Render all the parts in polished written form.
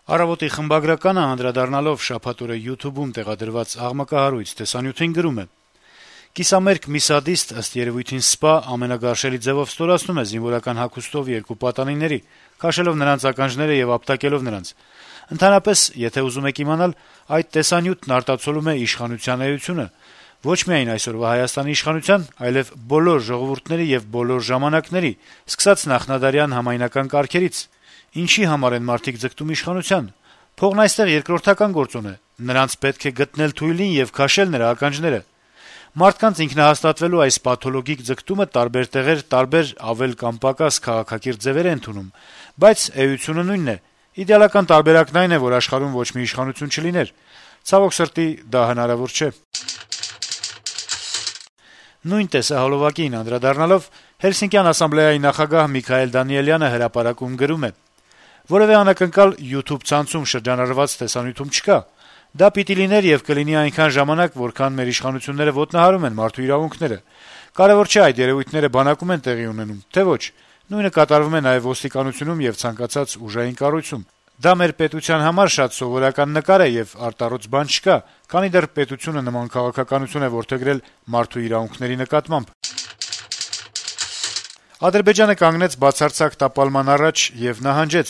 «Առավոտ»-ի խմբագրականը անդրադառնալով շաբաթ օրը YouTube-ում տեղադրված աղմկահարույց տեսանյութին գրում է. - «Կիսամերկ մի սադիստ, ըստ երեւույթին սպա, ամենագարշելի ձեւով ստորացնում է զինվորական հագուստով երկու պատանիների, քաշելով նրանց ականջները եւ ապտակելով նրանց: Ընդհանրապես, եթե ուզում եք իմանալ, այդ տեսանյութն արտացոլում է իշխանության էությունը: Ոչ միայն այսօրվա Հայաստանի իշխանության, այլեւ բոլոր ժողովուրդների եւ բոլոր ժամանակների, սկսած նախնադարյան համայնական կարգերից: Ինչի համար են մարդիկ ձգտում իշխանության: Փողն այստեղ երկրորդական գործոն է: Նրանց պետք է գտնել թույլին եւ քաշել նրա ականջները: Մարդկանց ինքնահաստատվելու այս պաթոլոգիկ ձգտումը տարբեր տեղեր տարբեր ավել կամ պակաս քաղաքակիրթ ձեւեր է ընդունում: Բայց էությունը նույնն է: Իդեալական տարբերակն այն է, որ աշխարհում ոչ մի իշխանություն չլիներ: Ցավոք սրտի, դա հնարավոր չէ»: Նույն տեսահոլովակին անդրադառնալով Հելսինկյան ասամբլեայի նախագահ Միքայել Դանիելյանը հրապարակում գրում է. - «Որեւէ անակնկալ YouTube ցանցում շրջանառված տեսանյութում չկա: Դա պիտի լիներ եւ կլինի այնքան ժամանակ, որքան մեր իշխանությունները ոտնահարում են մարդու իրավունքները: Կարեւոր չէ այդ երեւույթները բանակում են տեղի ունենում, թե ոչ: Նույնը կատարվում է նաեւ ոստիկանությունում եւ ցանկացած ուժային կառույցում: Դա մեր պետության համար շատ սովորական նկար է եւ արտառոց բան չկա, քանի դեռ պետությունը նման քաղաքականություն է որդեգրել մարդու իրավունքների նկատմամբ»: Ադրբեջանը կանգնեց բացարձակ տապալման առաջ եւ նահանջեց: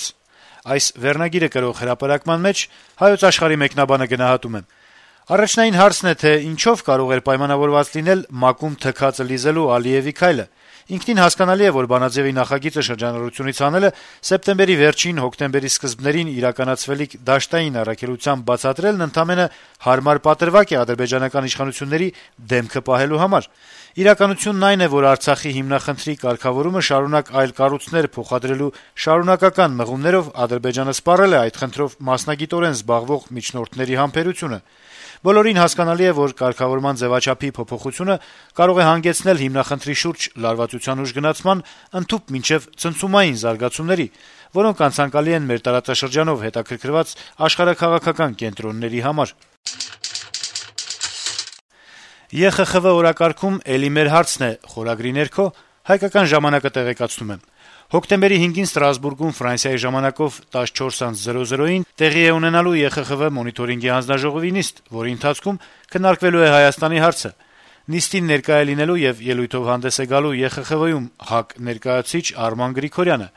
Այս վերնագիրը կրող հրապարակման մեջ «Հայոց Աշխարհ»-ի մեկնաբանը գնահատում է. - «Առաջնային հարցն է, թե ինչով կարող էր պայմանավորված լինել ՄԱԿ-ում թքածը լիզելու Ալիեւի քայլը: Ինքնին հասկանալի է, որ բանաձեւի նախագիծը շրջանառությունից հանելը, սեպտեմբերի վերջին, հոկտեմբերի սկզբներին իրականացվելիք դաշտային առաքելությամբ բացատրելն ընդամենը հարմար պատրվակ է ադրբեջանական իշխանությունների դեմքը պահելու համար: Իրականությունն այն է, որ Արցախի հիմնախնդրի կարգավորումը շարունակ այլ կառույցներ փոխադրելու շարունակական մղումներով Ադրբեջանը սպառել է այդ խնդրով մասնագիտորեն զբաղվող միջնորդների համբերությունը: Բոլորին հասկանալի է, որ կարգավորման ձեւաչափի փոփոխությունը կարող է հանգեցնել հիմնախնդրի շուրջ լարվածության ուժգնացման, ընդհուպ մինչեւ ցնցումային զարգացումների, որոնք անցանկալի են մեր տարածաշրջանով հետաքրքրված աշխարհաքաղաքական կենտրոնների համար»: «ԵԽԽՎ օրակարգում էլի մեր հարցն է» խորագրի ներքո «Հայկական ժամանակ»-ը տեղեկացնում է. - «Հոկտեմբերի 5-ին Ստրասբուրգում Ֆրանսիայի ժամանակով 14:00-ին տեղի է ունենալու ԵԽԽՎ մոնիթորինգի հանձնաժողովի նիստ, որի ընթացքում քննարկվելու է Հայաստանի հարցը: Նիստին ներկայ է լինելու եւ ելույթով հանդես է գալու ԵԽԽՎ-ում ՀԱԿ ներկայացուցիչ Արման Գրիգորյանը: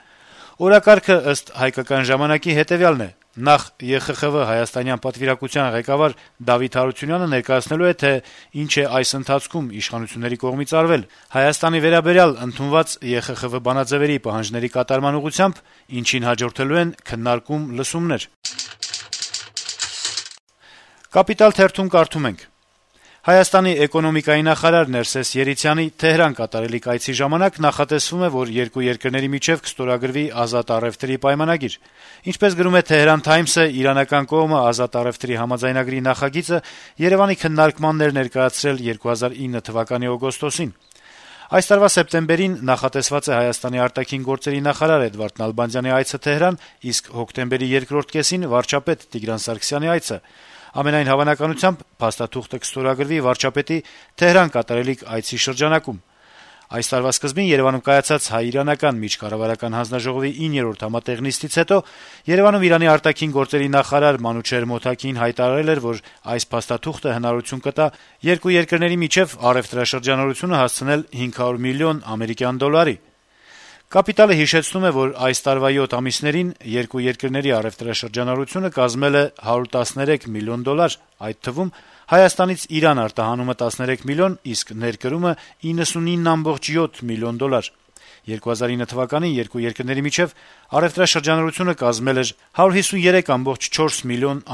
Օրակարգը, ըստ «Հայկական ժամանակ»-ի, հետեւյալն է. նախ ԵԽԽՎ հայաստանյան պատվիրակության ղեկավար Դավիթ Հարությունյանը ներկայացնելու է, թե ինչ է այս ընթացքում իշխանությունների կողմից արվել Հայաստանի վերաբերյալ ընդունված ԵԽԽՎ բանաձեւերի պահանջների կատարման ուղղությամբ, ինչին հաջորդելու են քննարկում, լսումներ»: «Կապիտալ» թերթում կարդում ենք. - «Հայաստանի էկոնոմիկայի նախարար Ներսես Երիցյանի Թեհրան կատարելիք այցի ժամանակ նախատեսվում է, որ երկու երկրների միջեւ կստորագրվի ազատ առեւտրի պայմանագիր: Ինչպես գրում է «Թեհրան Թայմս»-ը, իրանական կողմը ազատ առեւտրի համաձայնագրի նախագիծը Երեւանի քննարկմանն էր ներկայացրել 2009 թվականի օգոստոսին: Այս տարվա սեպտեմբերին նախատեսված է Հայաստանի արտաքին գործերի նախարար Էդվարդ Նալբանդյանի այցը Թեհրան, իսկ հոկտեմբերի երկրորդ կեսին վարչապետ Տիգրան Սարգսյանի այցը: Ամենայն հավանականությամբ փաստաթուղթը կստորագրվի վարչապետի Թեհրան կատարելիք այցի շրջանակում: Այս տարվա սկզբին Երեւանում կայացած հայ-իրանական միջկառավարական հանձնաժողովի 9-րդ համատեղ նիստից հետո Երեւանում Իրանի արտաքին գործերի նախարար Մանուչեհր Մոթաքին հայտարարել էր, որ այս փաստաթուղթը հնարավորություն կտա երկու երկրների միջեւ առեւտրաշրջանառությունը հասցնել $500 միլիոն: «Կապիտալ»-ը հիշեցնում է, որ այս տարվա 7 ամիսներին երկու երկրների առեւտրաշրջանառությունը կազմել է $113 միլիոն, այդ թվում Հայաստանից Իրան արտահանումը 13 միլիոն, իսկ ներկրումը $99.7 միլիոն: 2009 թվականին երկու երկրների միջեւ առեւտրաշրջանառությունը կազմել էր $153.4 միլիոն։